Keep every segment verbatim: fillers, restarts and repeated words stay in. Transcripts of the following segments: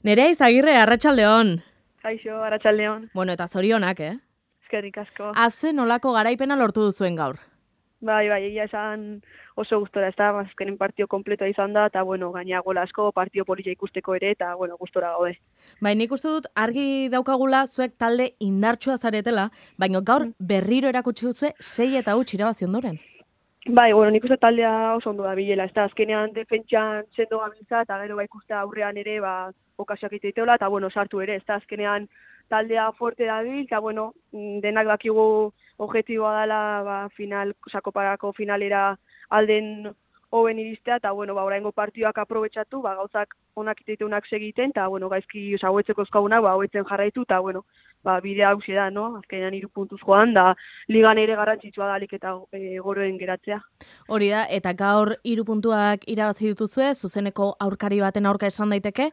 Nerea Izagirre, arratsaldeon. Kaixo, arratsaldeon. Bueno, eta zorionak, eh? Eskerrik asko. Aze nolako garaipena lortu duzuen gaur? Bai, bai, egia esan oso gustora, ez da, azkenen partio kompletoa izan da, eta, bueno, gaina gola asko, partio polita ikusteko ere, eta, bueno, gustora gaude. Bai, nik uste dut argi daukagula zuek talde indartsua zaretela, baina gaur berriro erakutsi duzue sei eta huts irabazi ondoren. Bai, bueno, nik uste taldea oso ondo da bilela, ez da, azkenean defentsan sendo gabiltza, eta gero bai ikuste aurrean ere, ba, okasioak iteiteola, eta, bueno, sartu ere, ez da, azkenean taldea fuerte dabil, eta, bueno, denak dakigu objektiboa dela, ba, final, sakoparako finalera alden hoben iristea, eta, bueno, ba, oraingo partioak aprobetxatu, ba, gauzak onak iteiteunak segiten, eta, bueno, gaizki, oza, hauetzeko eskagunak, ba, hauetzen jarraitu, eta, bueno, ba, bidea hauxe da, no? Azkenean hiru puntuz joan, da ligan ere garrantzitsua da alik eta e, goroen geratzea. Hori da, eta gaur hiru puntuak irabazi dituzue, zuzeneko aurkari baten aurka esan daiteke,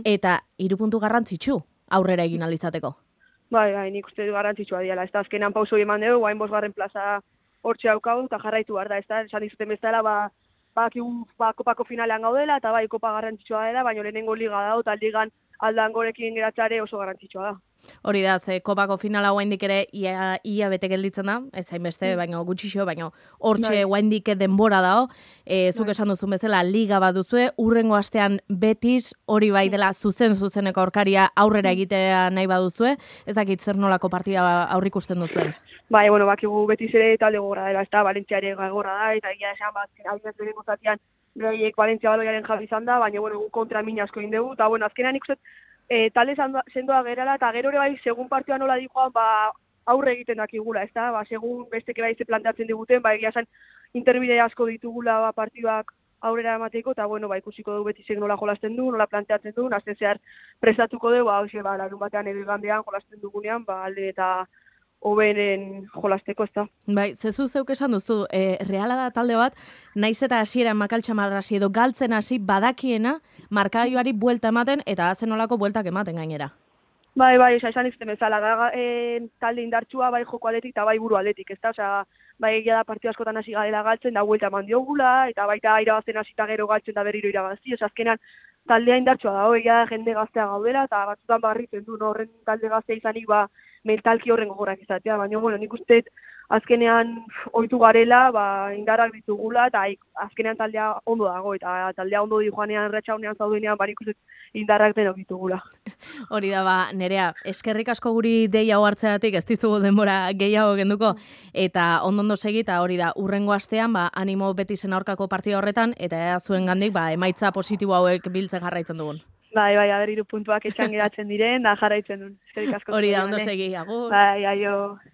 eta hiru puntu garrantzitsu aurrera egin alizateko. Bai, bai, nik uste du garrantzitsua diala, ez da, azkenean pauso eman dugu, guain bosgarren plaza hortxe daukagu, eta jarraitu behar da, ez da, esan izuten bezala, ba, ba, ba, kopako finalean gaudela, eta bai, kopa garrantzitsua dela, baina lehenengo liga da, eta ligan aldan gorekin geratzare oso garrantzitsua da. Hori da, ze kopako finala oraindik ere ia, ia bete gelditzen da, ez hainbeste, mm. baina gutxixo, baina hortxe oraindik denbora dago, e, zuk esan duzun bezala liga bat duzue, urrengo astean Betis, hori bai dela zuzen-zuzeneko aurkaria aurrera egitea nahi baduzue, ez dakit zer nolako partida aurrikusten duzuen. Bai, bueno, bakigu Betis ere talde gogorra dela, ez da, Valentzia ere gogorra da, eta egia esan bat, adinaz beren gozatian, beraiek Valentzia baloiaren jabi izan da, baina, bueno, kontra min asko indegu, eta, bueno, azkenean ikusten, E, talde sendoa gerala, eta gero ere bai, segun partioa nola dikoan, ba, aurre egiten dakigula, ez da? Ba, segun besteke bai ze planteatzen diguten, ba, egia esan interbide asko ditugula ba, partioak aurrera emateko, eta, bueno, ba, ikusiko dugu Betisek nola jolasten du, nola planteatzen du, azten zehar prestatuko dugu, ba, hoxe, ba, larun batean edo igandean jolasten dugunean, ba, alde eta hoberen jolasteko, ez da. Bai, zezu zeuk esan duzu, e, Reala da talde bat, naiz eta hasiera makaltxamar hasi edo galtzen hasi badakiena, markagailuari buelta ematen eta hazen olako bueltak ematen gainera. Bai, bai, esan izten bezala, da, e, talde indartsua, bai joko aldetik eta bai buru aldetik, ez da, osea, bai egia da partio askotan hasi garela galtzen, da buelta eman diogula, eta baita irabazten hasita gero galtzen da berriro irabazi, osea, azkenan taldea indartsua da, egia da jende gaztea gaudela, eta batzutan barritzen du, no, horren talde gaztea izanik, ba, mentalki horren gogorak izatea, baina, bueno, nik uste azkenean ohitu garela, ba, indarrak ditugula, eta azkenean taldea ondo dago, eta taldea ondo di joanean, retxaunean zaudenean, ba, nik uste indarrak denok ditugula. Hori da, ba, Nerea, eskerrik asko guri deia hartzeatik, ez dizugu denbora gehiago genduko, eta ondo-ondo segi, eta hori da, urrengo astean, ba, animo Betisen aurkako partida horretan, eta ea zuen gandik, ba, emaitza positibo hauek biltzen jarraitzen dugun. Bai, bai, aber hiru puntuak etxan geratzen diren, da jarraitzen duen. Eskerrik asko. Hori da, ondo segi, agur. Bai, aio.